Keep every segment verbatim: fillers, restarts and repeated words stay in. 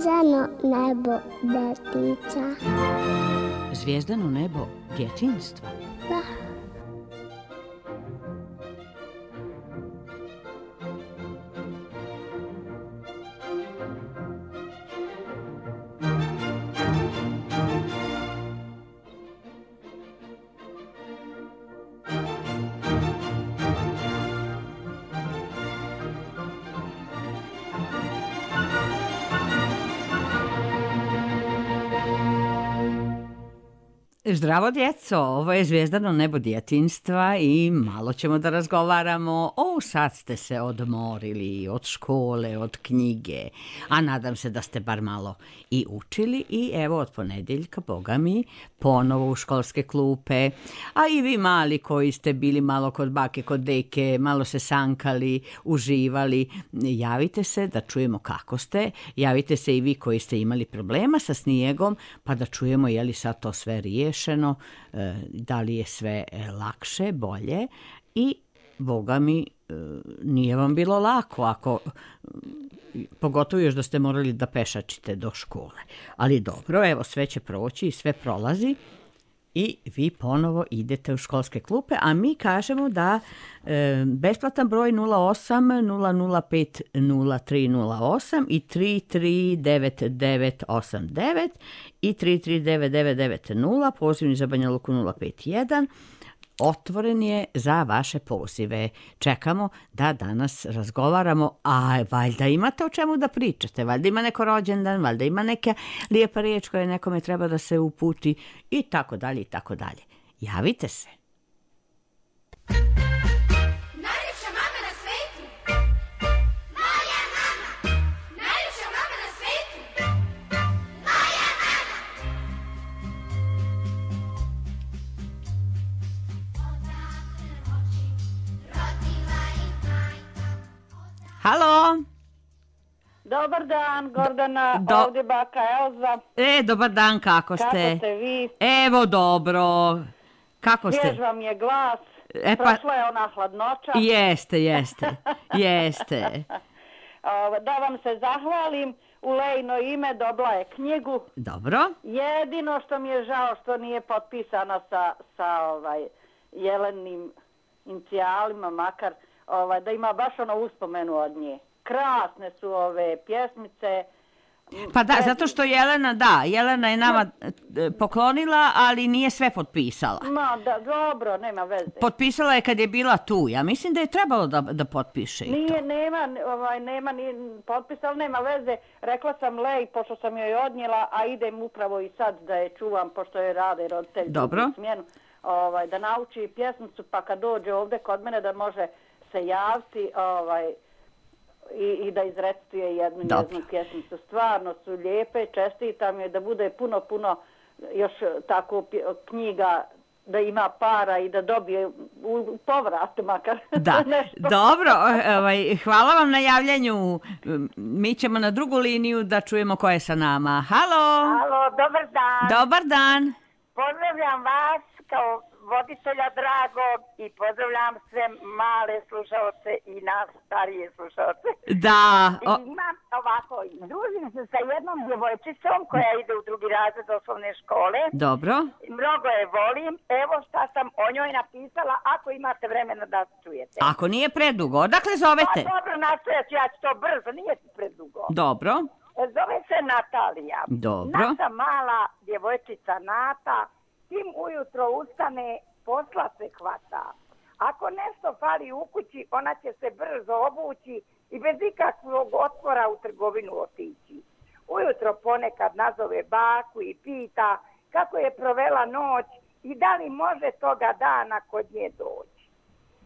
Zvijezdano nebo detica. Zvijezdano nebo djetinjstva? Da. Zdravo djeco, ovo je Zvijezdano nebo djetinjstva i malo ćemo da razgovaramo. O, sad ste se odmorili od škole, od knjige, a nadam se da ste bar malo i učili i evo od ponedeljka, boga mi, ponovo u školske klupe, a i vi mali koji ste bili malo kod bake, kod deke, malo se sankali, uživali, javite se da čujemo kako ste, javite se i vi koji ste imali problema sa snijegom, pa da čujemo je li sad to sve riješeno, da li je sve lakše, bolje i boga mi nije vam bilo lako ako pogotovo još da ste morali da pešačite do škole. Ali dobro, evo sve će proći i sve prolazi i vi ponovo idete u školske klupe, a mi kažemo da e, besplatan broj nula osam nula nula pet nula tri nula osam i tri tri devet devet osam devet i tri tri devet devet devet nula, pozivni za Banja Luku nula pet jedan, otvoren je za vaše pozive. Čekamo da danas razgovaramo, a valjda imate o čemu da pričate, valjda ima neko rođendan, valjda ima neka lijepa riječ koja nekome treba da se uputi i tako dalje i tako dalje. Javite se. Halo. Dobar dan, Gordana, Do... ovdje baka Elza. E, dobar dan, kako ste? Kako ste vi? Evo, dobro. Kako ste? Svjež vam je glas, e, pa... prošla je ona hladnoća. Jeste, jeste, jeste. Da vam se zahvalim, u Lejno ime dobila je knjigu. Dobro. Jedino što mi je žao što nije potpisana sa, sa ovaj, Jelenim inicijalima, makar Ovaj, da ima baš ono uspomenu od nje. Krasne su ove pjesmice. Pa da, zato što Jelena, da, Jelena je nama poklonila, ali nije sve potpisala. Ma, da, dobro, nema veze. Potpisala je kad je bila tu. Ja mislim da je trebalo da, da potpiše i nije, to. Nema, ovaj, nema ni potpisala, nema veze. Rekla sam Lej, pošto sam joj odnijela, a idem upravo i sad da je čuvam, pošto je rade roditelj. Dobro. Smjenu, ovaj, da nauči pjesmicu, pa kad dođe ovdje kod mene da može se javiti ovaj, i, i da izrecituje jednu njeznu pjesmicu. Stvarno su lijepe, čestitam joj da bude puno, puno još tako knjiga, da ima para i da dobije u, u povrat makar. Da, dobro, ovaj, hvala vam na javljanju. Mi ćemo na drugu liniju da čujemo ko je sa nama. Halo! Halo, dobar dan! Dobar dan! Pozdravljam vas kao voditelja dragog i pozdravljam sve male slušalce i nas starije slušalce. Da. O... I imam ovako, družim se sa jednom djevojčicom koja ide u drugi razred osnovne škole. Dobro. Mnogo je volim. Evo šta sam o njoj napisala, ako imate vremena da čujete. Ako nije predugo, odakle zovete? Pa dobro, nastojat ću, ja ću to brzo, nije predugo. Dobro. Zove se Natalija. Dobro. Naša mala djevojčica Nata, čim ujutro ustane, posla se hvata. Ako nešto fali u kući, ona će se brzo obući i bez ikakvog otpora u trgovinu otići. Ujutro ponekad nazove baku i pita kako je provela noć i da li može toga dana kod nje doći.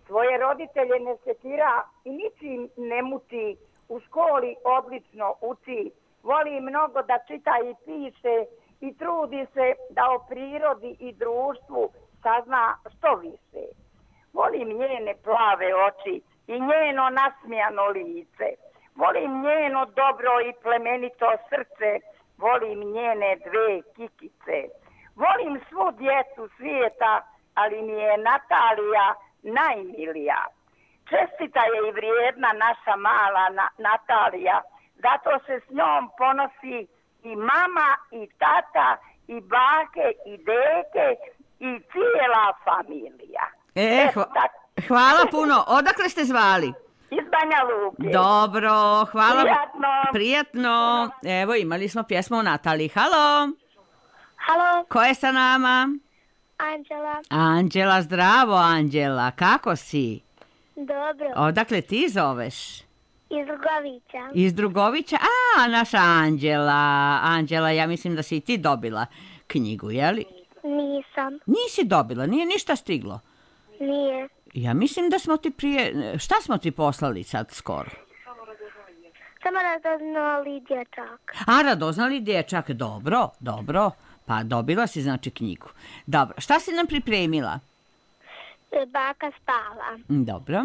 Svoje roditelje ne sekira i ničim ne muči, u školi odlično uči, voli mnogo da čita i piše i trudi se da o prirodi i društvu sazna što više. Volim njene plave oči i njeno nasmijano lice. Volim njeno dobro i plemenito srce. Volim njene dve kikice. Volim svu djecu svijeta, ali mi je Natalija najmilija. Čestita je i vrijedna naša mala na- Natalija zato se s njom ponosi i mama, i tata, i bake, i deke, i cijela familija. E, Eto, hva- tako. hvala puno. Odakle ste zvali? Iz Banja Luke. Dobro, hvala. Prijatno. Prijatno. Evo, imali smo pjesmu o Nataliji. Halo, Halo, ko je sa nama? Anđela. Anđela, zdravo Anđela, kako si? Dobro. Odakle ti zoveš? Iz Drugovića. Iz Drugovića? A, naša Anđela. Anđela, ja mislim da si i ti dobila knjigu, jeli? Nisam. Nisi dobila, nije ništa stiglo. Nije. Ja mislim da smo ti prije... Šta smo ti poslali sad skoro? Samo radoznali dječak. A, radoznali dječak, dobro, dobro. Pa dobila si znači knjigu. Dobro, šta si nam pripremila? Baka spava. Dobro.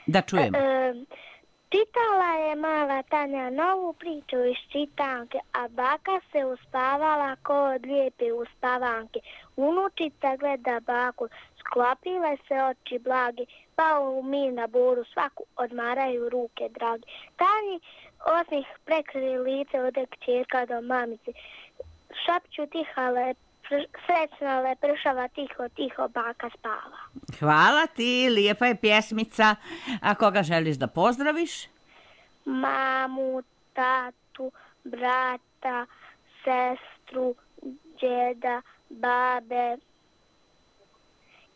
Da čujemo. E, čitala je mala Tanja novu priču iz čitanke, a baka se uspavala ko od lijepe uspavanke. Unučica gleda baku, sklopile se oči blagi, pa u mir na boru svaku odmaraju ruke dragi. Tanji osmih prekrije lice ode kćerka do mamice. Šapću tiha le, srećna lepršava, tiho, tiho baka spava. Hvala ti, lijepa je pjesmica. A koga želiš da pozdraviš? Mamu, tatu, brata, sestru, djeda, babe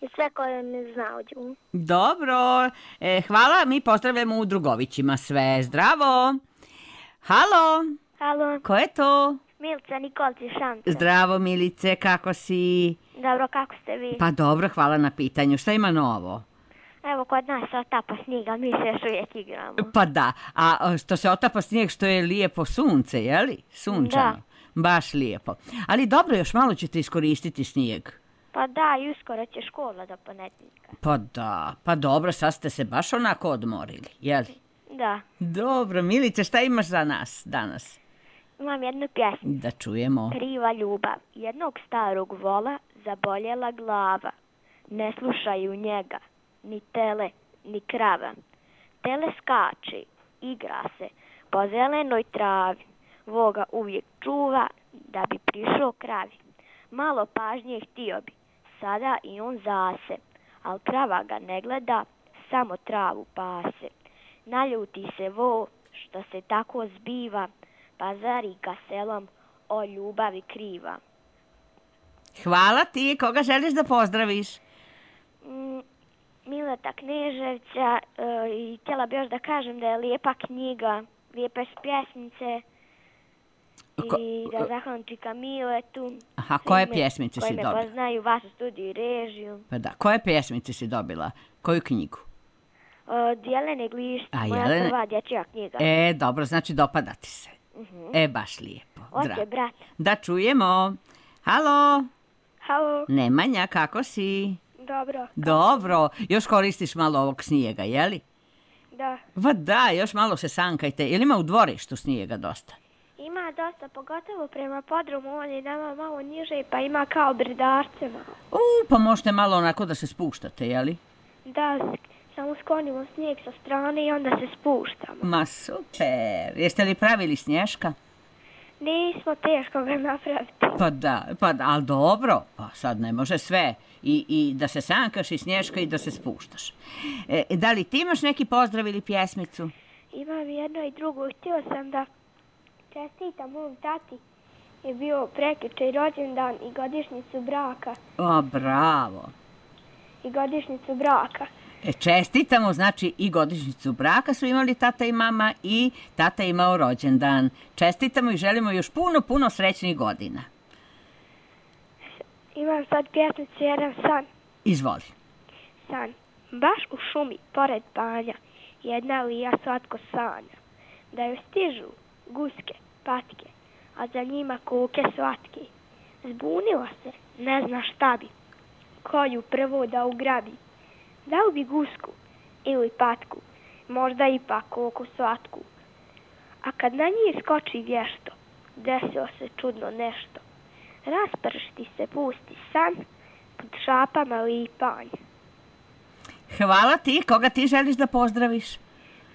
i sve koje mi znaju. Dobro, e, hvala, mi pozdravljamo u Drugovićima sve. Zdravo. Halo, Halo, ko je to? Milica Nikolci Šanca. Zdravo Milice, kako si? Dobro, kako ste vi? Pa dobro, hvala na pitanju. Šta ima novo? Evo, kod nas se otapa snijega, mi se još uvijek igramo. Pa da, a što se otapa snijeg, što je lijepo sunce, jeli? Sunčano. Da. Baš lijepo. Ali dobro, još malo ćete iskoristiti snijeg. Pa da, i uskoro će škola do ponedjeljka. Pa da, pa dobro, sad ste se baš onako odmorili, jeli? Da, Dobro, Milice, šta imaš za nas danas? imam jednu pjesmu. Da čujemo. Kriva ljubav. Jednog starog vola zaboljela glava. Ne slušaju njega, ni tele, ni krava. Tele skače, igra se po zelenoj travi. Voga uvijek čuva da bi prišao kravi. Malo pažnje htio bi, sada i on zase. Al krava ga ne gleda, samo travu pase. Naljuti se vo što se tako zbiva, pa zarika selom o ljubavi kriva. Hvala ti, koga želiš da pozdraviš? Mm, Mileta Kneževća e, i htjela bi još da kažem da je lijepa knjiga, lijepe su pjesmice Ko- i da zahvalim čika Miletu. Aha, koje svime pjesmice si koji me dobila? poznaju, vašu studiju i režiju. Pa da, koje pjesmice si dobila? Koju knjigu? Od Jelene Glišća, A, moja Jelene- prva dječja knjiga. E, dobro, znači dopada ti se. E, baš lijepo. Ote, Dra- brat. Da čujemo. Halo, Halo, Nemanja, kako si? dobro, Dobro, još koristiš malo ovog snijega, jeli? da. Va da, još malo se sankajte. Jel ima u dvorištu snijega dosta? Ima dosta, pogotovo prema podrumu, on je nama malo niže, pa ima kao brdarce malo. U, pa možete malo onako da se spuštate, jeli? Da, samo sklonimo snijeg sa strane i onda se spuštamo. Ma super. Jeste li pravili snješka? Nismo teško ga napraviti. Pa da, pa da, ali dobro. Pa sad ne može sve. I, i da se sankaš i snješka i da se spuštaš. E, da li ti imaš neki pozdrav ili pjesmicu? Imam jedno i drugo, htio sam da čestitam mom tati. Je bio prekjučer rođendan i godišnjicu braka. O, bravo. I godišnjicu braka. E, čestitamo, znači i godišnjicu braka su imali tata i mama i tata je imao rođendan. Čestitamo i želimo još puno, puno srećnih godina. Imam sad pjesmicu jedan san. Izvoli. San. Baš u šumi, pored banja, jedna lija slatko sanja. Da joj stižu guske, patke, a za njima kuke slatke. Zbunila se, ne zna šta bi, koju prvo da ugrabi. Da li bi gusku ili patku, možda ipak koku slatku. A kad na njih skoči vješto, desilo se čudno nešto. Raspršti se pusti san, pod šapama lipanj. Hvala ti, koga ti želiš da pozdraviš?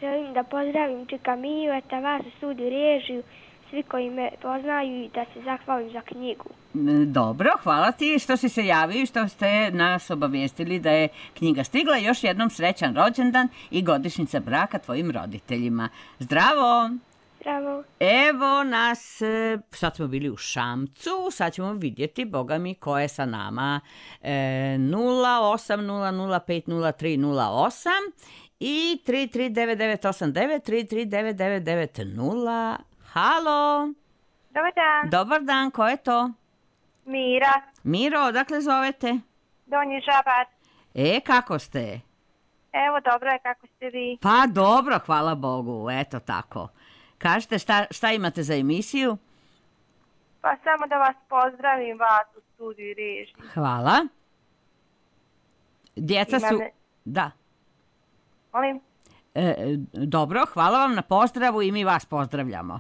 Želim da pozdravim Čika Mijeta, vas u studiju režiju, svi koji me poznaju i da se zahvalim za knjigu. Dobro, hvala ti što si se javio i što ste nas obavijestili da je knjiga stigla. Još jednom srećan rođendan i godišnjica braka tvojim roditeljima. Zdravo! Zdravo! Evo nas, sad smo bili u Šamcu, sad ćemo vidjeti, boga mi, ko je sa nama. E, nula osam nula nula pet nula tri nula osam i tri tri devet devet osam devet tri tri devet devet devet nula. Halo! Dobar dan. Dobar dan, ko je to? Mira. Miro, odakle zovete? Donji Žabar. E, kako ste? Evo, dobro je, kako ste vi? Pa dobro, hvala Bogu, eto tako. Kažete, šta, šta imate za emisiju? Pa samo da vas pozdravim, vas u studiju i režiji. Hvala. Djeca Imam su... ne- Da. Molim? E, dobro, hvala vam na pozdravu i mi vas pozdravljamo.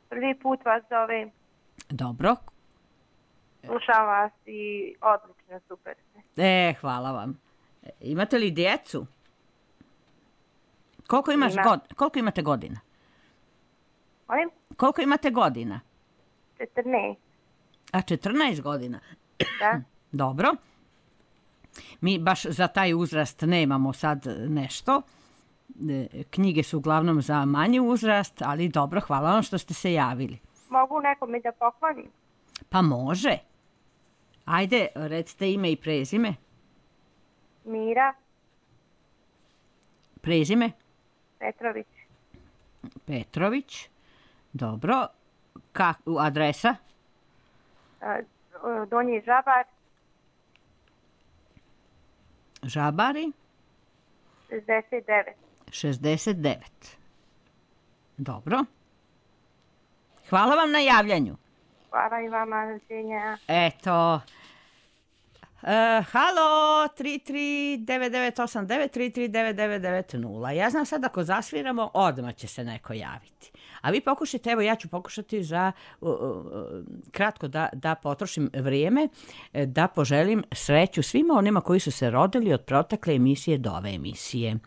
Prvi put vas zovem. Dobro. Slušam vas i odlično, super ste. E, hvala vam. E, imate li djecu? Koliko, imaš Imam. god, koliko imate godina? Molim? Koliko imate godina? četrnaest. A četrnaest godina. Da? Dobro. Mi baš za taj uzrast nemamo sad nešto. E, Knjige su uglavnom za manji uzrast, ali dobro, hvala vam što ste se javili. Mogu nekome da poklonim? Pa može. Ajde, recite ime i prezime. Mira Prezime? Petrović. Petrović. Dobro. Kak, adresa? A, Donji Žabar, Žabari? šezdeset devet. šezdeset devet. Dobro. Hvala vam na javljanju. Hvala i vama, rođenja. Eto. E, halo, tri tri devet devet osam devet tri tri devet devet devet nula. Ja znam sad ako zasviramo, odmah će se neko javiti. A vi pokušajte, evo ja ću pokušati za uh, uh, kratko da, da potrošim vrijeme, da poželim sreću svima onima koji su se rodili od protekle emisije do ove emisije.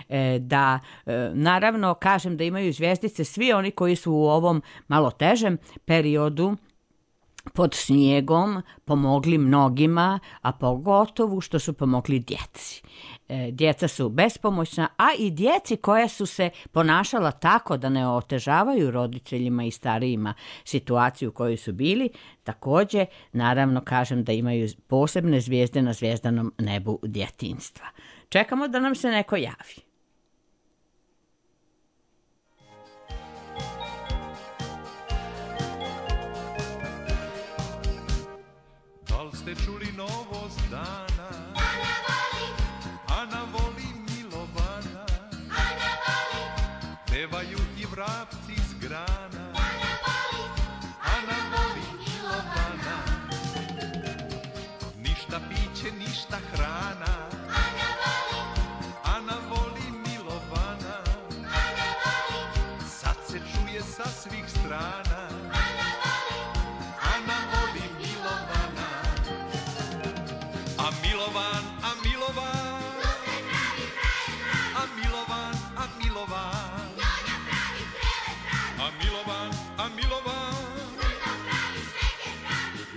E, da e, naravno kažem da imaju zvjezdice svi oni koji su u ovom malo težem periodu pod snijegom pomogli mnogima, a pogotovo što su pomogli djeci. E, djeca su bespomoćna, a i djeci koja su se ponašala tako da ne otežavaju roditeljima i starijima situaciju u kojoj su bili, također naravno kažem da imaju posebne zvijezde na zvijezdanom nebu djetinjstva. Čekamo da nam se neko javi. Ste čuli novost dana? Ana voli, Ana voli Milovana. Ana voli, pevaju i vrapci s grana. Ana voli, Ana voli Milovana. Ništa piće, ništa hrana. Ana voli, Ana voli Milovana. Ana voli, sad se čuje sa svih strana. Ana voli, Ana voli Milovana. A Milovan, a Milovan, a Milovan, a Milovan, a Milovan, a Milovan,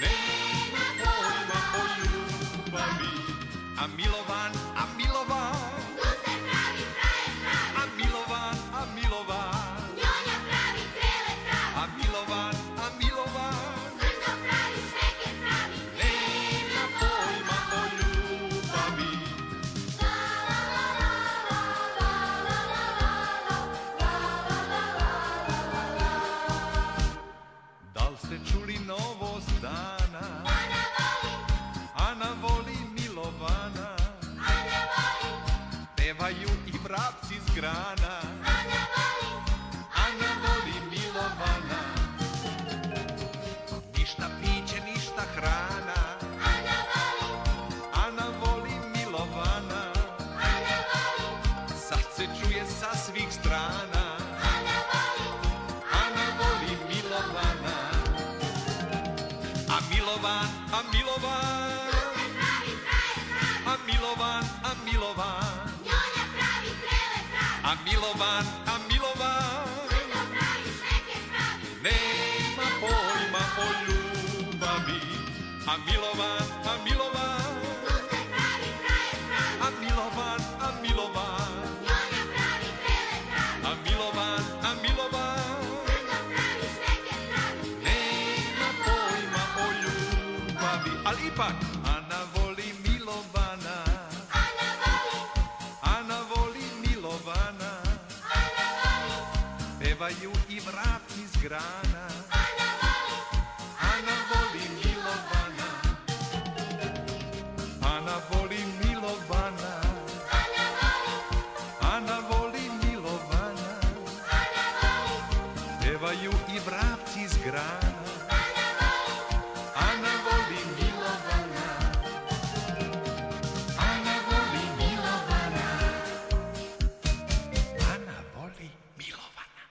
nema pojma o ljubavi. A Milovan, a Milovan, a Milovan, a Milovan, a Milovan, a Milovan. Čuli novost dana? Ana voli, Ana voli Milovana. Ana voli, pevaju i vrapci s grana. Ana voli, Ana voli Milovana. Ništa piće, ništa hrana. Ana voli, Ana voli Milovana. Ana voli, sad se čuje sa svih strana. Ana voli, Ana voli Milovana. A Milovan, a Milovan, a Milovan, a Milovan, a Milovan, a Milovan, nema pojma o ljubavi. A Milovan, a Milovan, a Milovan, a Milovan, a Milovan, a Milovan, nema pojma o ljubavi. Ali ipak, Ana voli Milovana, Ana voli Milovana, pevaju i vrapci s grana. Ana voli Milovana, Ana voli Milovana, Ana voli Milovana, pevaju i vrapci s grana. Ana voli Milovana, Ana voli Milovana, Ana voli Milovana.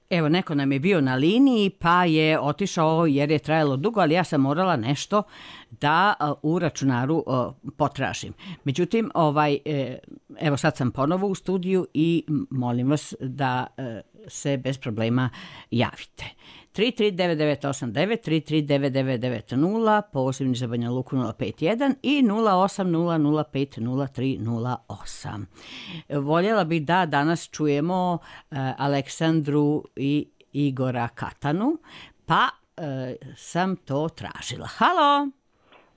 Evo, neko nam je bio na liniji pa je otišao jer je trajalo dugo, ali ja sam morala nešto da uh, u računaru uh, potražim. Međutim, ovaj, eh, evo sad sam ponovo u studiju i molim vas da uh, se bez problema javite. tri tri devet devet osam devet, tri tri devet devet devet nula, pozivni za Banja Luku nula pet jedan i nula osam nula nula pet nula tri nula osam. Voljela bih da danas čujemo uh, Aleksandru i Igora Katanu, pa uh, sam to tražila. Halo!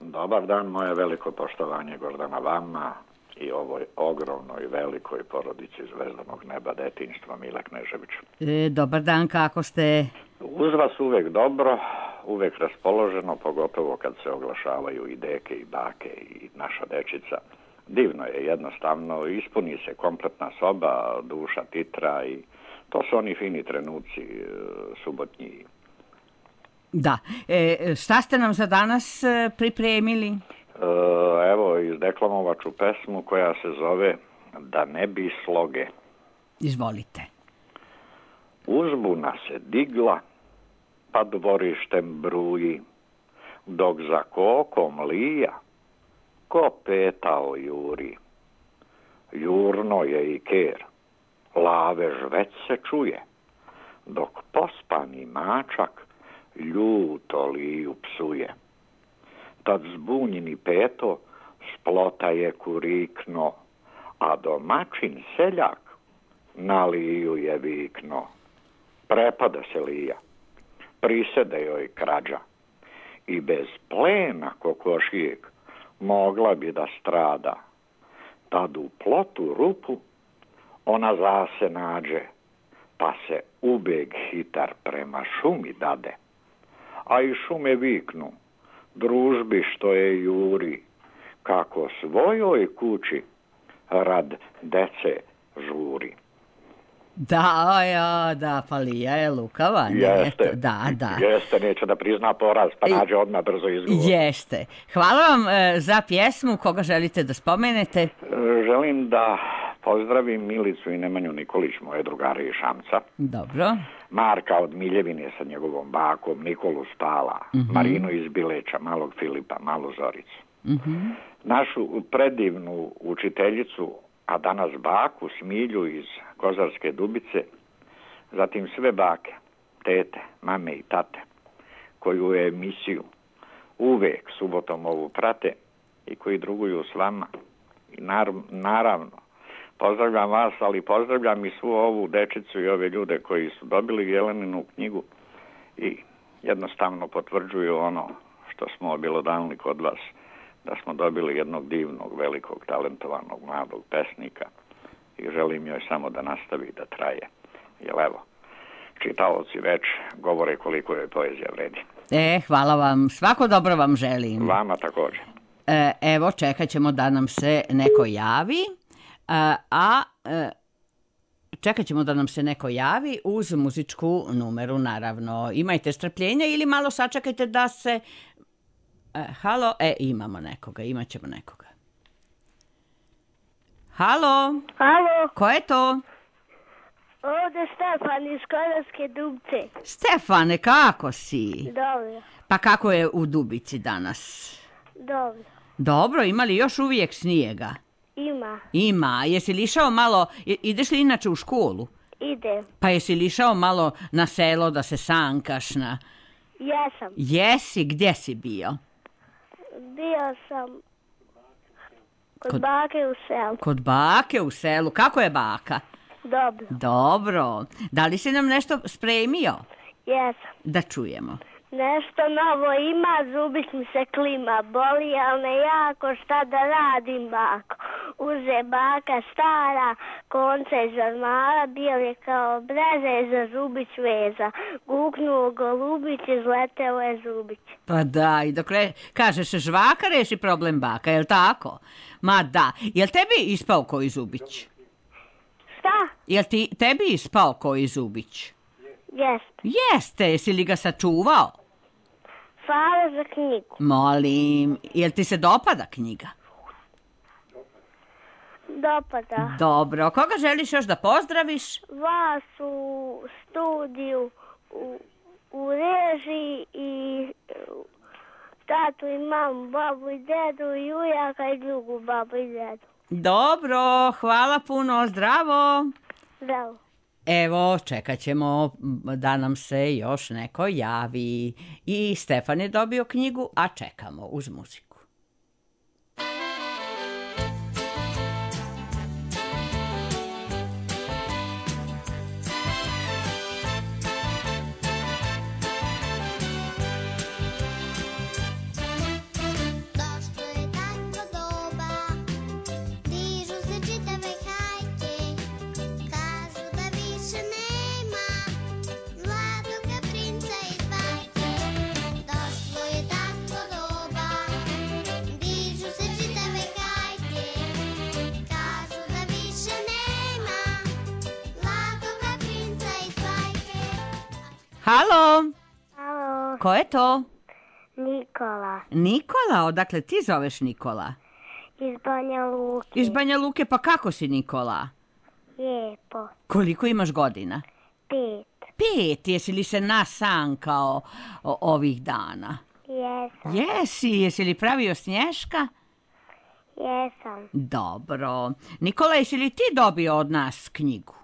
Dobar dan, moje veliko poštovanje Gordana vama i ovoj ogromnoj velikoj porodici zvezdanog neba detinjstva Mila Kneževića. E, dobar dan, kako ste? Uz vas uvek dobro, uvek raspoloženo, pogotovo kad se oglašavaju i deke i bake i naša dečica. Divno je, jednostavno, ispuni se kompletna soba, duša titra i to su oni fini trenuci e, subotnji. Da. E, šta ste nam za danas e, pripremili? E, evo, izdeklamovaću pesmu koja se zove Da ne bi sloge. Izvolite. Uzbuna se digla, pa dvorištem bruji, dok za kokom lija, ko petao juri. Jurno je i ker, lavež već se čuje, dok pospani mačak ljuto liju psuje. Tad zbunjeni peto splota je kurikno, a domaćin seljak na liju je vikno. Prepada se lija, prisede joj krađa i bez plena kokošijeg mogla bi da strada. Tad u plotu rupu ona zase nađe, pa se ubeg hitar prema šumi dade. A i šume viknu, družbi što je juri, kako svojoj kući rad dece žuri. Da, ja, da, pa Lija je lukava. Jeste, da, da. Jeste, neće da prizna poraz, pa nađe odmah brzo izgovor. Jeste. Hvala vam e, za pjesmu, koga želite da spomenete? E, želim da pozdravim Milicu i Nemanju Nikolić, moje drugare iz Šamca. Dobro. Marka od Miljevine sa njegovom bakom, Nikolu Spala, uh-huh. Marinu iz Bileća, malog Filipa, malu Zoricu. Uh-huh. Našu predivnu učiteljicu, a danas baku Smilju iz Kozarske Dubice, zatim sve bake, tete, mame i tate, koju je emisiju uvek subotom ovu prate i koji druguju s vama. I nar- naravno, pozdravljam vas, ali pozdravljam i svu ovu dečicu i ove ljude koji su dobili Jeleninu knjigu i jednostavno potvrđuju ono što smo obelodanili kod vas, da smo dobili jednog divnog, velikog, talentovanog, mladog pesnika i želim joj samo da nastavi da traje. Jer evo, čitaoci već govore koliko je poezija vredi. E, hvala vam. Svako dobro vam želim. Vama također. E, evo, čekat ćemo da nam se neko javi, a, a e, čekat ćemo da nam se neko javi uz muzičku numeru, naravno. Imajte strpljenja ili malo sačekajte da se... E, halo, e, imamo nekoga, imat ćemo nekoga. Halo? Halo? Ko je to? Ovdje Stefan iz Kozarske Dubice. Stefane, kako si? Dobro. Pa kako je u Dubici danas? Dobro. Dobro, ima li još uvijek snijega? Ima. Ima. Jesi li išao malo, i- ideš li inače u školu? Ide. Pa jesi li išao malo na selo da se sankaš na... Jesam. Jesi, gdje si bio? Bio sam kod, Kod- bake u selu. Kod bake u selu. Kako je baka? Dobro. Dobro. Da li si nam nešto spremio? Jesam. Da čujemo. Nešto novo ima, zubić mi se klima, boli, ali ne jako, šta da radim, bako. Uze baka stara, konce iz ormara, bijel kao breze, za zubić veza. Guknuo golubić, izleteo je zubić. Pa da, i dok re... kažeš žvaka, reši problem baka, jel tako? Ma da. Jel tebi ispao koji zubić? Šta? Jel ti, tebi ispao koji zubić? Jest. Jeste, jesi li ga sačuvao? Hvala za knjigu. Molim, jel ti se dopada knjiga? Dopada. Dobro, koga želiš još da pozdraviš? Vas u studiju, u, u režiji i uh, tatu i mamu, babu i dedu i ujaka i drugu babu i dedu. Dobro, hvala puno, zdravo. Zdravo. Evo, čekat ćemo da nam se još neko javi. I Stefan je dobio knjigu, a čekamo uz muziku. Došlo je tango doba, dižu se čitave hajke, kažu da više nema zlatoga princa iz bajke. Došlo je tango doba, dižu se čitave hajke, kažu da više nema zlatoga princa iz bajke. Halo, Halo, ko je to? Nikola Nikola, odakle ti zoveš Nikola? iz Banja Luke. Iz Banja Luke, pa kako si Nikola? Lijepo. Koliko imaš godina? Pet. Pet, jesi li se nasankao o- ovih dana? Jesam. Jesi, jesi li pravio snješka? Jesam. Dobro. Nikola, jesi li ti dobio od nas knjigu?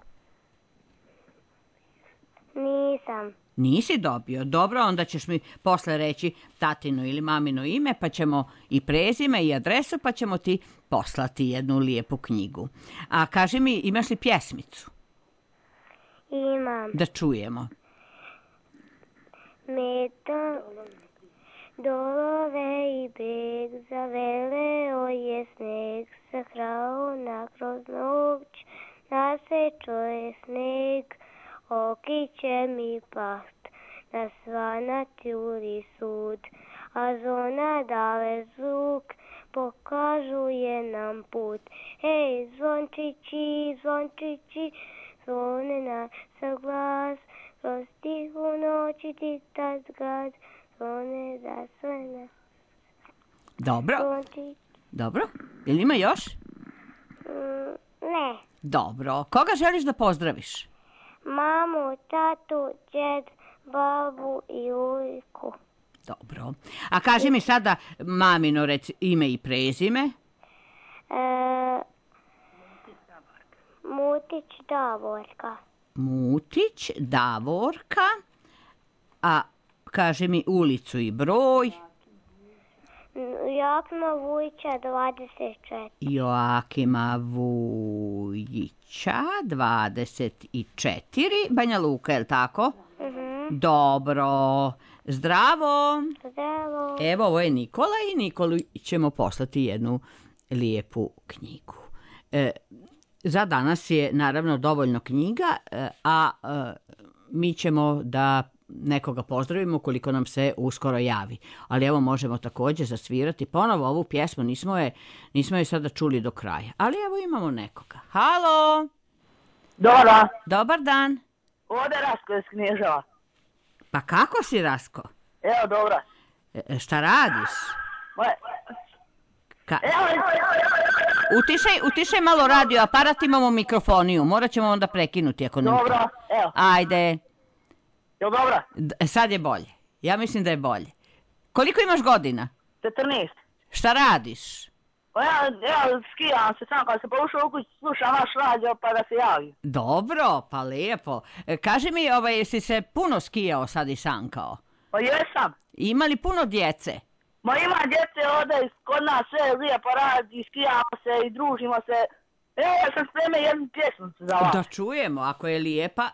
Nisam. Nisi dobio. Dobro, onda ćeš mi posle reći tatino ili mamino ime, pa ćemo i prezime i adresu, pa ćemo ti poslati jednu lijepu knjigu. A kaži mi, imaš li pjesmicu? Imam. Da čujemo. Meta dolove i beg, zaveleo je sneg, sahrao na kroz noć, nasečo je sneg, oki će mi past, na svanat juri sud, a zona dale zvuk, pokažuje nam put. Hej, zvončići, zvončići, zvone na sa glas, kroz tihu noći titat gad, zvone da sve na Dobro, zvončići. dobro. Jel ima još? Mm, ne. Dobro. Koga želiš da pozdraviš? Mamu, tatu, djed, babu i ujku. Dobro. A kaži mi sada mamino reci ime i prezime. E, Mutić Davorka. Mutić Davorka. A kaži mi ulicu i broj. Joakima Vujića dvadeset četiri. Joakima Vujića, dvadeset četiri. Banja Luka, je li tako? Mhm. Dobro. Zdravo. Zdravo. Evo, ovo je Nikola i Nikoli ćemo poslati jednu lijepu knjigu. E, za danas je naravno dovoljno knjiga, e, a e, mi ćemo da nekoga pozdravimo koliko nam se uskoro javi. Ali evo možemo također zasvirati ponovo ovu pjesmu, nismo je, nismo je sada čuli do kraja. Ali evo imamo nekoga. Halo! Dobro, Dobar dan. ovdje Rasko iz Knježeva. Pa kako si, Rasko? Evo, dobro. E, šta radiš? Moje... Ka- Evo, Utišaj, utišaj malo radio aparat, imamo mikrofoniju. Morat ćemo onda prekinuti ako ne. dobro, evo. Ajde. Jel dobro? D- sad je bolje. Ja mislim da je bolje. Koliko imaš godina? četrnaest. Šta radiš? Pa ja, ja skijam se sam kad se pošao u kući, slušam vaš radio pa da se javim. Dobro, pa lijepo. E, kaži mi, ovaj, jesi se puno skijao sad i sankao? Pa jesam. Ima li puno djece? Ma ima djece ovdje kod nas sve lijepo radi, skijamo se i družimo se. E, ja sam spremio jednu pjesmu za vas. Da čujemo, ako je lijepa.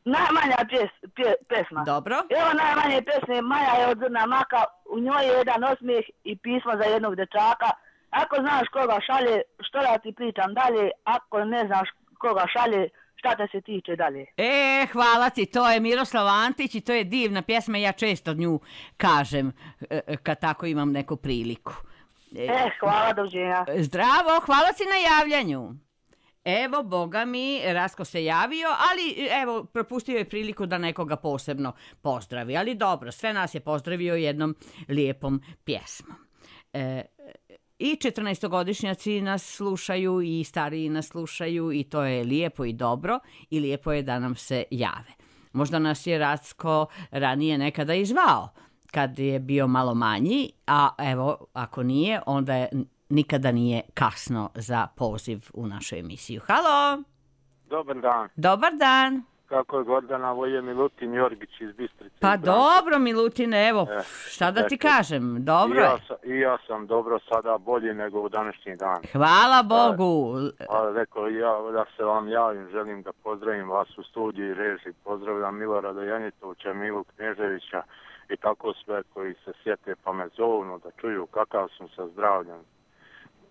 Najmanja pjes, pje, pesma. Dobro. Evo najmanje pesme, Maja je od Zrna maka, u njoj je jedan osmijeh i pismo za jednog dečaka. Ako znaš koga šalje, što da ti pričam dalje, ako ne znaš koga šalje, šta te se tiče dalje. E, hvala ti, to je Miroslav Antić i to je divna pjesma, ja često nju kažem kad tako imam neku priliku. E, e hvala, doviđenja. Zdravo, hvala ti na javljanju. Evo, boga mi, Rasko se javio, ali evo, propustio je priliku da nekoga posebno pozdravi. Ali dobro, sve nas je pozdravio jednom lijepom pjesmom. E, I četrnaestogodišnjaci nas slušaju i stariji nas slušaju i to je lijepo i dobro i lijepo je da nam se jave. Možda nas je Racko ranije nekada i zvao kad je bio malo manji, a evo, ako nije, onda je... nikada nije kasno za poziv u našu emisiju. Halo! Dobar dan. Dobar dan. Kako je Gordana, ovo je Milutin Jorgić iz Bistrice. Pa dobro, Milutine, evo, e, šta da ti eto, kažem, dobro i ja, je. I ja sam dobro sada bolji nego u današnji dan. Hvala Bogu. A, rekao ja da se vam javim, želim da pozdravim vas u studiju i režiji. Pozdravljam Milorada Janjetovića, Milu Kneževića i tako sve koji se sjete pa me zovu da čuju kakav sam sa zdravljem.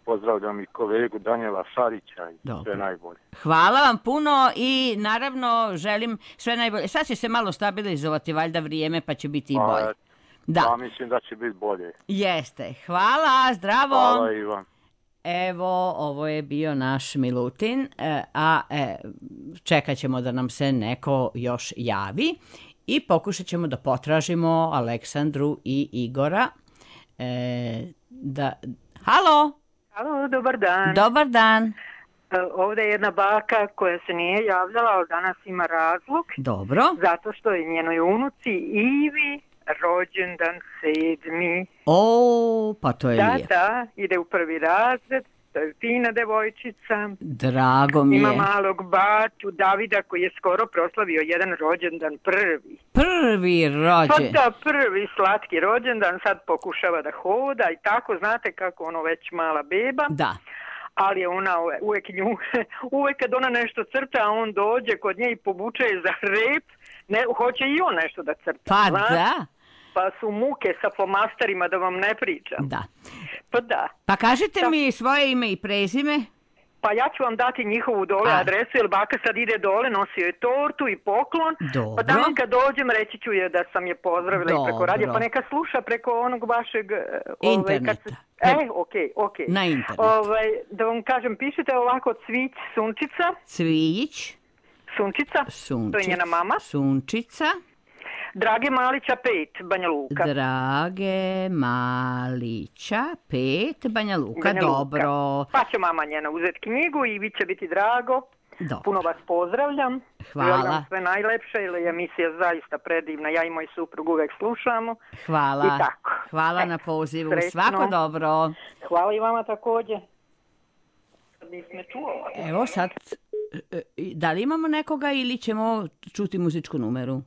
Pozdravljam i kolegu Danijela Šarića i dobro. Sve najbolje. Hvala vam puno i naravno želim sve najbolje. Sad će se malo stabilizovati valjda vrijeme pa će biti i bolje. Pa, da. Pa mislim da će biti bolje. Jeste. Hvala, zdravo. Hvala i vam. Evo, ovo je bio naš Milutin, a e, čekat ćemo da nam se neko još javi i pokušat ćemo da potražimo Aleksandru i Igora. E, da... Halo? Halo, dobar dan. Dobar dan. Ovdje je jedna baka koja se nije javljala, ali danas ima razlog. Dobro. Zato što je njenoj unuci Ivi rođendan sedmi. O, pa to je da, lijepo. Da, da, ide u prvi razred. To je fina devojčica. Drago mi je. Ima malog baču Davida koji je skoro proslavio jedan rođendan prvi. Prvi rođendan? Pa da, prvi slatki rođendan. Sad pokušava da hoda i tako, znate kako ono već mala beba. Da. Ali je ona uvijek nju, uvijek kad ona nešto crta, a on dođe kod nje i povuče je za rep, ne, hoće i on nešto da crta. Pa znate? Da. Pa su muke sa flomasterima da vam ne pričam. Da. Pa da. Pa kažite da. mi svoje ime i prezime. Pa ja ću vam dati njihovu dole a. adresu, jer baka sad ide dole, nosio je tortu i poklon. Dobro. Pa tamo kad dođem reći ću je da sam je pozdravila i preko radija, pa neka sluša preko onog vašeg... Interneta. Ovaj, kad se, e, okej, okay, okej. Okay. Na internetu. Ovaj, da vam kažem, pišite ovako Cvić Sunčica. Cvić. Sunčica. Sunčica. To je njena mama. Sunčica. Drage Malića pet, Banja Luka. Drage Malića pet, Banja Luka, Banja Luka. Dobro. Pa će mama njena uzeti knjigu i vi će biti drago. Dobro. Puno vas pozdravljam. Hvala. Želim sve najlepše, jer je emisija zaista predivna. Ja i moj suprug uvek slušamo. Hvala. I tako. Hvala e, na pozivu. Srećno. Svako dobro. Hvala i vama također. Sad nisme čuo. Evo sad, da li imamo nekoga ili ćemo čuti muzičku numeru?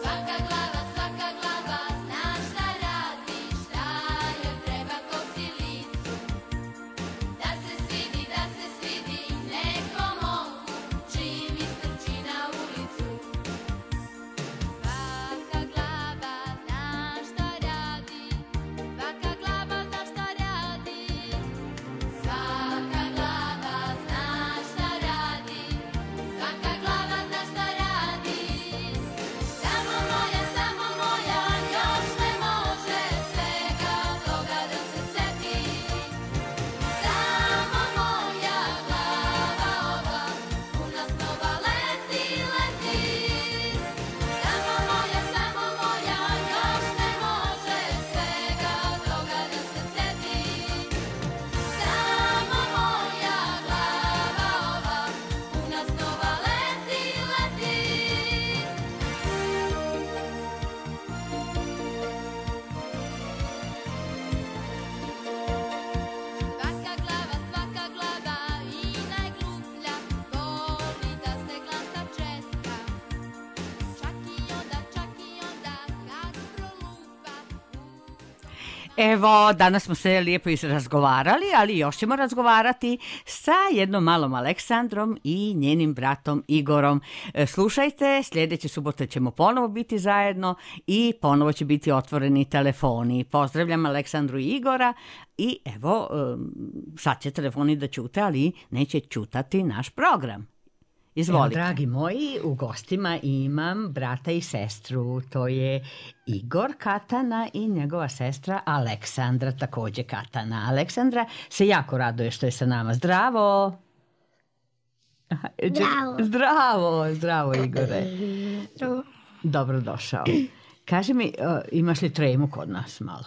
Svaka glava, svaka glava, zna šta radi, šta joj treba Evo, danas smo se lijepo razgovarali, ali još ćemo razgovarati sa jednom malom Aleksandrom i njenim bratom Igorom. Slušajte, sljedeće subote ćemo ponovo biti zajedno i ponovo će biti otvoreni telefoni. Pozdravljam Aleksandru i Igora i evo, sad će telefoni da ćute, ali neće ćutati naš program. Izvolite. Evo, dragi moji, u gostima imam brata i sestru. To je Igor Katana i njegova sestra Aleksandra, također Katana. Aleksandra se jako raduje što je sa nama. Zdravo! Zdravo. Zdravo, zdravo Igore. Zdravo. Dobrodošao. Kaži mi, imaš li tremu kod nas malo?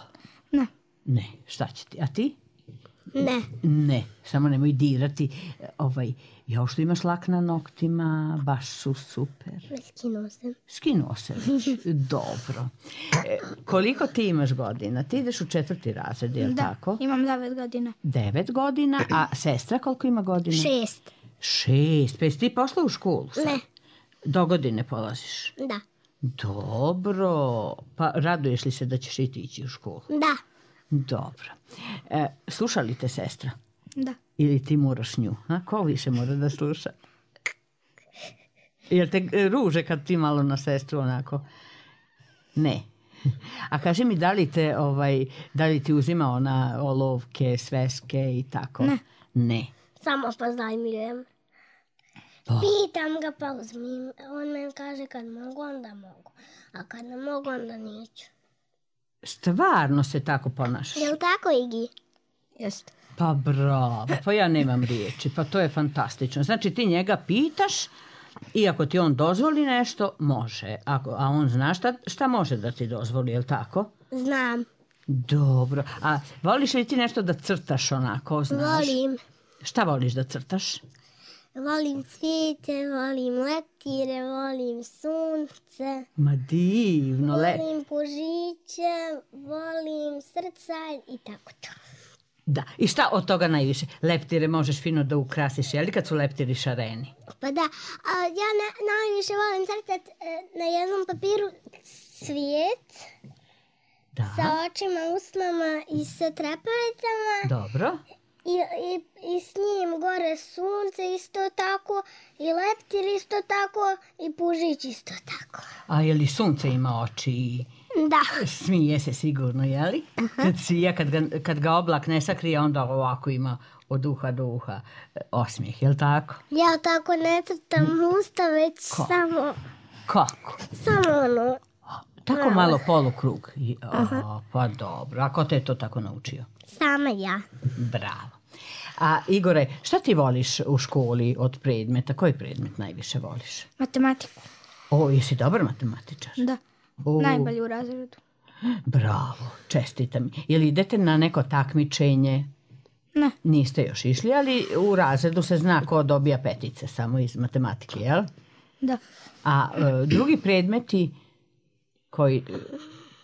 Ne. Ne, šta će ti? A ti? Ne. Ne, samo nemoj dirati. Ovaj, ja što imaš lak na noktima, baš su super. Skinuo sam. Skinuo se. Dobro. E, koliko ti imaš godina? Ti ideš u četvrti razred, je li da, tako? Da, imam devet godina. Devet godina, a sestra koliko ima godina? Šest. Šest. Pa jesi ti pošla u školu sad? Ne. Do godine polaziš? Da. Dobro. Pa raduješ li se da ćeš i ti ići u školu? Da. Dobro. E, sluša li te sestra? Da. Ili ti moraš nju? A? Ko više mora da sluša? Jel te ruže kad ti malo na sestru onako? Ne. A kaži mi, da li te, ovaj, da li ti uzima ona olovke, sveske i tako? Ne. Ne. Samo pozajmljujem. Oh. Pitam ga pa uzmim. On meni kaže kad mogu, onda mogu. A kad ne mogu, onda neću. Stvarno se tako ponašaš? Jel tako, Igi? Jeste. Pa bravo, pa ja nemam riječi, pa to je fantastično. Znači ti njega pitaš i ako ti on dozvoli nešto, može. Ako, a on zna šta, šta može da ti dozvoli, je li tako? Znam. Dobro. A voliš li ti nešto da crtaš onako, znaš? Volim. Šta voliš da crtaš? Volim cvijete, volim leptire, volim sunce. Ma divno. Volim le... pužiće, volim srca i tako to. Da, i šta od toga najviše? Leptire možeš fino da ukrasiš, je li kad su leptiri šareni? Pa da, a ja na, najviše volim crtat e, na jednom papiru cvijet da. Sa očima, usnama i sa trepavicama. Dobro. I, i, i s njim gore sunce isto tako, i leptir isto tako, i pužić isto tako. A je li sunce ima oči? Da. Smije se sigurno, je li? Aha. Kad svija, kad ga, kad ga oblak ne sakrije, onda ovako ima od uha do uha osmijeh, je li tako? Ja tako ne crtam usta, već Ko? samo... Kako? Samo ono... Tako Bravo. Malo polukrug. O, pa dobro. A ko te je to tako naučio? Sama ja. Bravo. A Igore, šta ti voliš u školi od predmeta? Koji predmet najviše voliš? Matematiku. O, jesi dobar matematičar? Da. O, najbolji u razredu. Bravo, čestitam. Jel idete na neko takmičenje? Ne. Niste još išli, ali u razredu se zna ko dobija petice samo iz matematike, jel? Da. A e, drugi predmeti koji...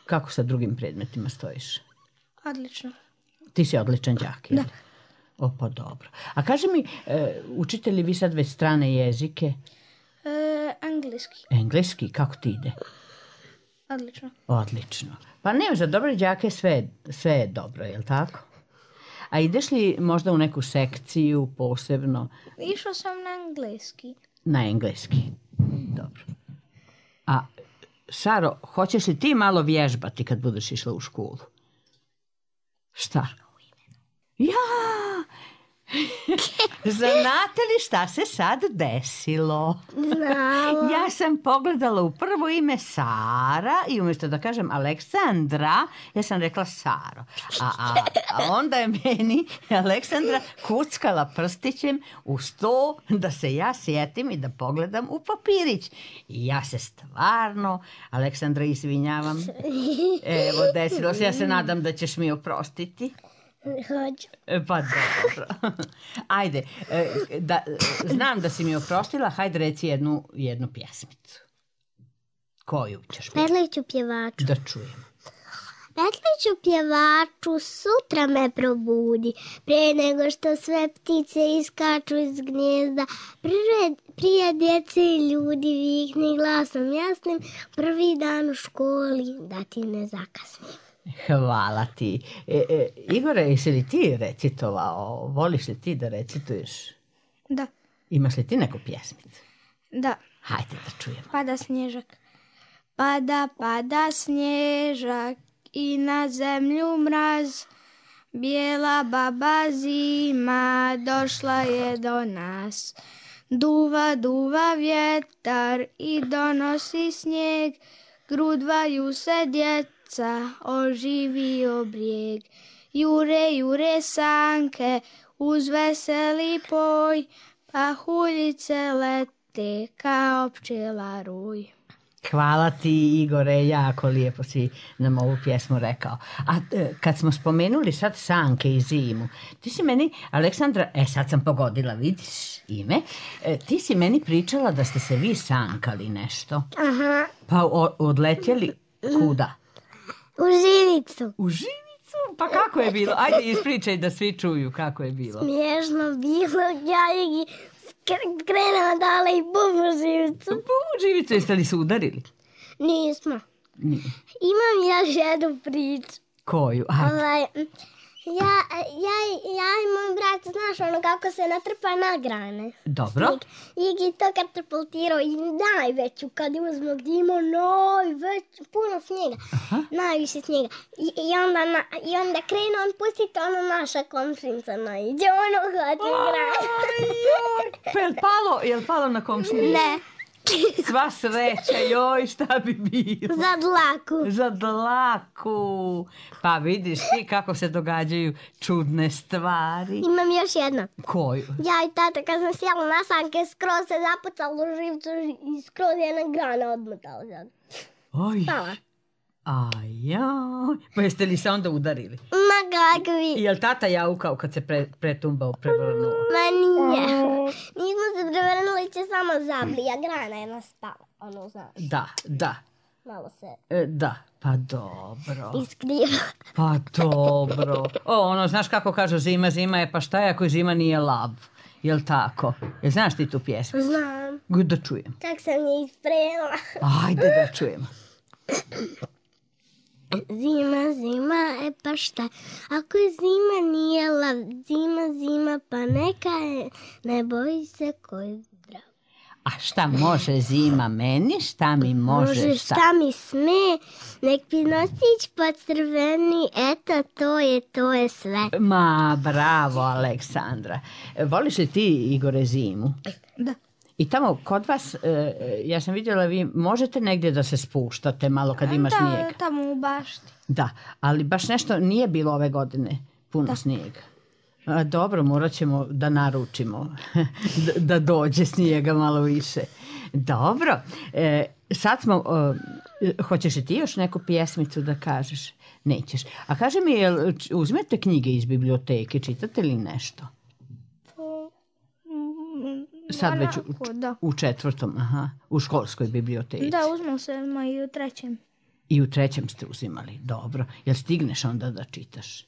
Kako sa drugim predmetima stojiš? Odlično. Ti si odličan đak, jel? Da. O, pa dobro. A kaži mi, e, učite li vi sad već strane jezike? E, engleski. Engleski, kako ti ide? Odlično. Odlično. Pa ne, za dobre đake sve, sve je dobro, je li tako? A ideš li možda u neku sekciju posebno? Išao sam na engleski. Na engleski. Dobro. A, Saro, hoćeš li ti malo vježbati kad budeš išla u školu? Šta? Ja! Znate li šta se sad desilo? Znala. Ja sam pogledala u prvo ime Sara i umjesto da kažem Aleksandra, ja sam rekla Saro. A, a, a onda je meni Aleksandra kuckala prstićem u sto da se ja sjetim i da pogledam u papirić. I ja se stvarno, Aleksandra, izvinjavam. Evo, desilo se, ja se nadam da ćeš mi oprostiti. Hoću. Pa dobro. Ajde, da, znam da si mi oprostila, hajde reci jednu, jednu pjesmicu. Koju ćeš pjevati? Petliću pjevaču. Da čujem. Petliću pjevaču, sutra me probudi, prije nego što sve ptice iskaču iz gnjezda. Prije, prije djece i ljudi vikni glasom jasnim, prvi dan u školi da ti ne zakasnim. Hvala ti. E, e, Igore, jesi li ti recitovao? Voliš li ti da recituješ? Da. Imaš li ti neku pjesmicu? Da. Hajde da čujemo. Pada snježak. Pada, pada snježak i na zemlju mraz. Bijela baba zima došla je do nas. Duva, duva vjetar i donosi snijeg. Grudvaju se djeca, oživio brijeg. Jure, jure sanke uz veseli poj, pahuljice lete kao pčela ruj. Hvala ti, Igore, jako lijepo si nam ovu pjesmu rekao. A e, kad smo spomenuli sad sanke i zimu, ti si meni, Aleksandra, e sad sam pogodila, vidiš ime, e, ti si meni pričala da ste se vi sankali nešto. Aha. Pa o, odletjeli kuda? U Živicu. U Živicu? Pa kako je bilo? Ajde, ispričaj da svi čuju kako je bilo. Smiješno bilo, ja i krenula dale i bum u Živicu. Bum u Živicu, jeste li se udarili? Nismo. Nije. Imam još jednu priču. Koju? Ajde. Ovaj, ja, ja, ja i moj brat, znaš ono kako se natrpa na grane. Dobro. Igi to katapultirao i najveću kad uzmo gdje ima najveću, puno snijega, aha, najviše snijega. I, i, onda, na, i onda krene on pustiti ono naša komšinica naiđe, ono hvati grane. Pa je li palo, je li palo na komšinicu? Ne. Sva sreća, joj, šta bi bilo? Za dlaku. Za dlaku. Pa vidiš ti kako se događaju čudne stvari. Imam još jedno. Koju? Ja i tata kad sam sjela na sanke, skroz se zapucalo u Živcu i skroz jedna grana odmotala. Oj. Spala. Ajaj. Pa jeste li se onda udarili? Ma kakvi. I jel tata jaukao kad se pre, pretumbao, prevrnuo? Ma nije. Nismo se prevrnuli, će samo zablija. Grana je nas spala. Ono, znaš. Da, da. Malo se... E, da, pa dobro. Iskriva. Pa dobro. O, ono, znaš kako kažu zima, zima je, pa šta je ako zima nije lav? Jel tako? Jel znaš ti tu pjesmu? Znam. Da čujem. Čak sam je ispremila. Ajde da čujem. Zima, zima, e pa šta? Ako je zima nije lav, zima, zima, pa neka je, ne boji se koji zdrav. A šta može zima meni, šta mi može, može šta? Šta mi sme, nek mi nosić pa crveni, eto to je, to je sve. Ma, bravo, Aleksandra. Voliš li ti, Igore, zimu? Da. I tamo kod vas, ja sam vidjela, vi možete negdje da se spuštate malo kad ima da, snijega. Da, tamo u bašti. Da, ali baš nešto nije bilo ove godine puno da. snijega. A, dobro, morat ćemo da naručimo da, da dođe snijega malo više. Dobro, e, sad smo, e, hoćeš li ti još neku pjesmicu da kažeš? Nećeš. A kaži mi, jel uzmete knjige iz biblioteke, čitate li nešto? Sad već u, u četvrtom, aha, u školskoj biblioteci. Da, uzmem se i u trećem. I u trećem ste uzimali, dobro. Jel stigneš onda da čitaš?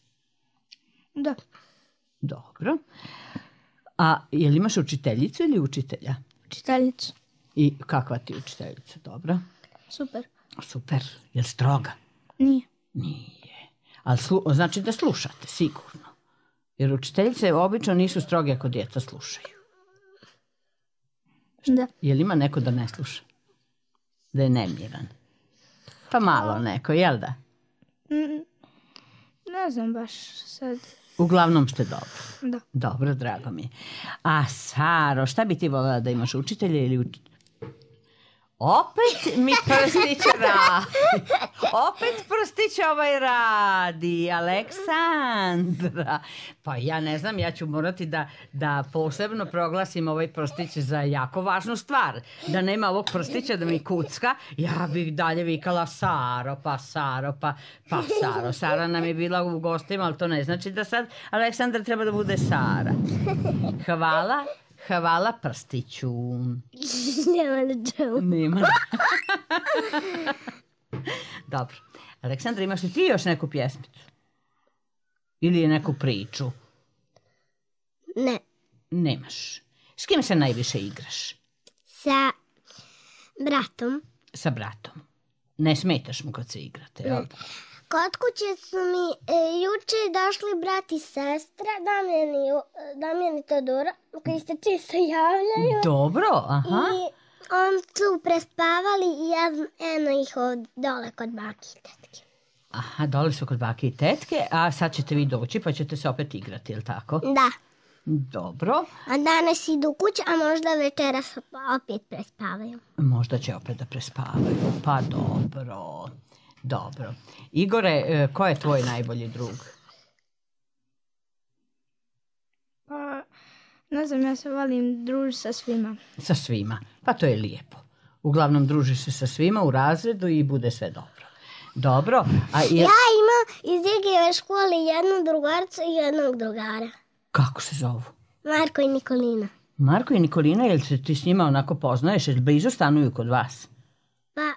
Da. Dobro. A jel imaš učiteljicu ili učitelja? Učiteljicu. I kakva ti učiteljica, dobro? Super. Super, jel stroga? Nije. Nije. Ali slu, znači da slušate, sigurno. Jer učiteljice obično nisu stroge ako djeca slušaju. Da. Jel ima neko da ne sluša? Da je nemiran? Pa malo neko, jel da? Mm, ne znam baš sad. Uglavnom ste dobro. Da. Dobro, drago mi je. A Saro, šta bi ti voljela da imaš, učitelja ili učitelja? Opet mi prstić radi. Opet prstić ovaj radi. Aleksandra. Pa ja ne znam, ja ću morati da, da posebno proglasim ovaj prstić za jako važnu stvar. Da nema ovog prstića da mi kucka, ja bih dalje vikala Saro, pa Saro, pa, pa Saro. Sara nam je bila u gostima, ali to ne znači da sad Aleksandra treba da bude Sara. Hvala. Hvala prstiću. Nema na čemu. Nema. Dobro. Aleksandra, imaš li ti još neku pjesmicu? Ili je neku priču? Ne. Nemaš. S kim se najviše igraš? Sa bratom. Sa bratom. Ne smetaš mu kad se igrate, jel? Kod kuće su mi e, juče došli brat i sestra, Damjan i, Damjan i Todora, koji se čisto javljaju. Dobro, aha. I on su prespavali i ja eno ih od dole kod baki i tetke. Aha, dole su kod bake i tetke, a sad ćete vi doći pa ćete se opet igrati, je li tako? Da. Dobro. A danas idu kuće, a možda večeras opet prespavaju. Možda će opet da prespavaju. Pa dobro. Dobro. Igore, ko je tvoj najbolji drug? Pa, ne znam, ja se volim družiti sa svima. Sa svima. Pa to je lijepo. Uglavnom družiš se sa svima u razredu i bude sve dobro. Dobro. A je... Ja imam iz Igijeve škole jednu drugaricu i jednog drugara. Kako se zovu? Marko i Nikolina. Marko i Nikolina, jel se ti s njima onako poznaješ? Jel blizu stanuju kod vas? Pa,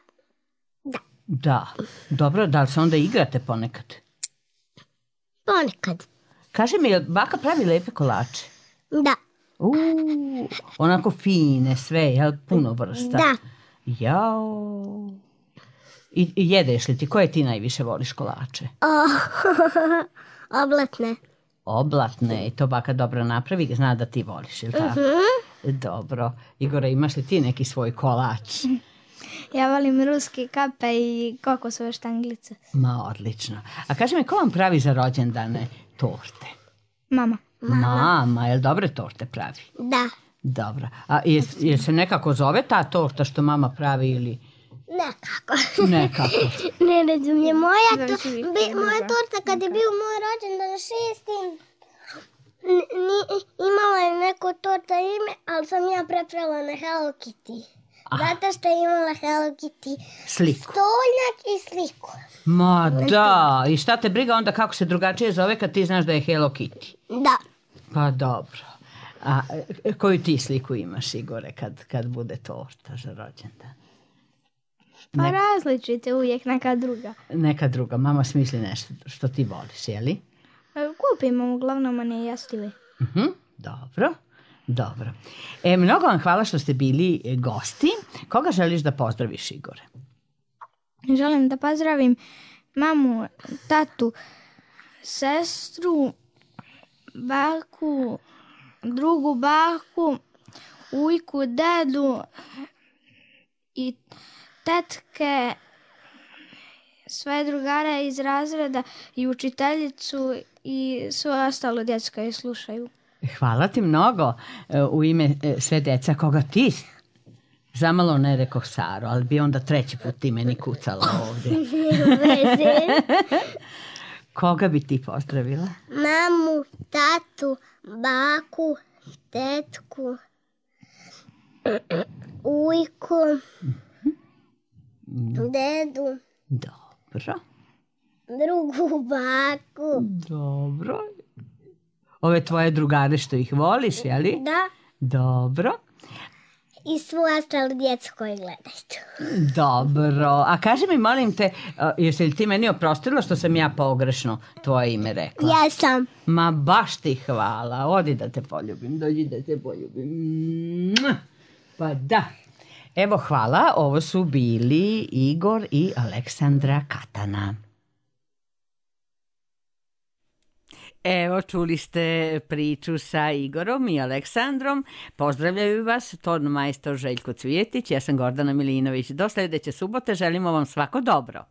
da. Da. Dobro, da li se onda igrate ponekad? Ponekad. Kaži mi, jel baka pravi lepe kolače? Da. Uuu, onako fine sve, jel? Puno vrsta. Da. Jao. I, i jedeš li ti? Koje ti najviše voliš kolače? Oh, oblatne. Oblatne, i to baka dobro napravi, zna da ti voliš, ili tako? Uh-huh. Dobro. Igore, imaš li ti neki svoj kolač? Ja volim ruske kape i kokosove štanglice. Ma, odlično. A kaži mi, ko vam pravi za rođendane torte? Mama. Mama, Mama jel dobre torte pravi? Da. Dobro. A je, je se nekako zove ta torta što mama pravi ili... Nekako. Nekako. Ne razumijem. Moja, to, bi, moja torta kad je bio moj rođendan šesti, imala je neko torta ime, ali sam ja prepravila na Hello Kitty. Aha. Zato što je imala Hello Kitty sliku. Stolnjak i sliku. Ma da, i šta te briga onda kako se drugačije zove kad ti znaš da je Hello Kitty? Da. Pa dobro. A koju ti sliku imaš, Igore, kad, kad bude torta za rođendan? Pa ne... različite, uvijek neka druga. Neka druga, mama smisli nešto što ti voliš, jeli? Kupimo, uglavnom one jastive. Uh-huh. Dobro, dobro. E, mnogo vam hvala što ste bili gosti. Koga želiš da pozdraviš, Igore? Želim da pozdravim mamu, tatu, sestru, baku, drugu baku, ujku, dedu i tetke, sve drugare iz razreda i učiteljicu i sve ostalo djeca koje slušaju. Hvala ti mnogo u ime sve djeca. Koga ti zamalo ne rekoh Saro, ali bi onda treći put ti meni kucala ovdje. Koga bi ti pozdravila? Mamu, tatu, baku, tetku, ujku, dedu. Dobro. Drugu baku. Dobro. Ove tvoje drugare što ih voliš, jeli? Da. Dobro. I svu ostalu djecu koji gledaju. Dobro. A kaži mi, molim te, jesi li ti meni oprostila što sam ja pogrešno tvoje ime rekla? Ja sam. Ma baš ti hvala. Odi da te poljubim. Dođi da te poljubim. Pa da. Evo, hvala. Ovo su bili Igor i Aleksandra Katana. Evo, čuli ste priču sa Igorom i Aleksandrom. Pozdravljaju vas ton majstor Željko Cvijetić. Ja sam Gordana Milinović. Do sljedeće subote želimo vam svako dobro.